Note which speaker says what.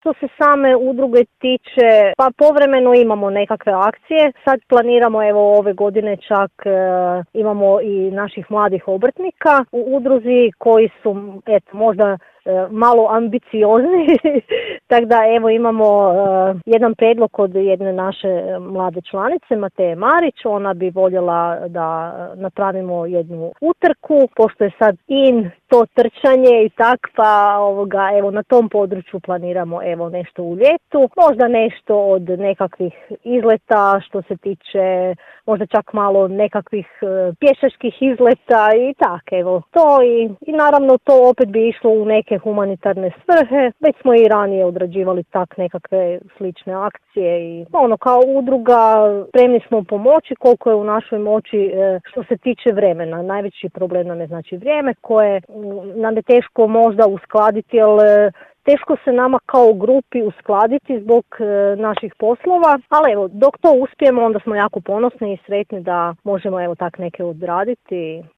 Speaker 1: Što se same udruge tiče, pa povremeno imamo nekakve akcije. Sad planiramo, evo ove godine čak imamo i naših mladih obrtnika u udruzi koji su možda malo ambiciozni, tako da evo imamo jedan prijedlog od jedne naše mlade članice, Mateje Marić. Ona bi voljela da napravimo jednu utrku, pošto je sad to trčanje i tak, pa evo na tom području planiramo evo nešto u ljetu, možda nešto od nekakvih izleta što se tiče možda čak malo nekakvih pješačkih izleta i tak, evo to i naravno to opet bi išlo u neke humanitarne svrhe. Već smo i ranije odrađivali tak nekakve slične akcije i kao udruga spremni smo pomoći koliko je u našoj moći što se tiče vremena. Najveći problem nam je znači vrijeme koje nam je teško možda uskladiti, jer teško se nama kao grupi uskladiti zbog naših poslova, ali evo, dok to uspijemo, onda smo jako ponosni i sretni da možemo evo tak neke odraditi.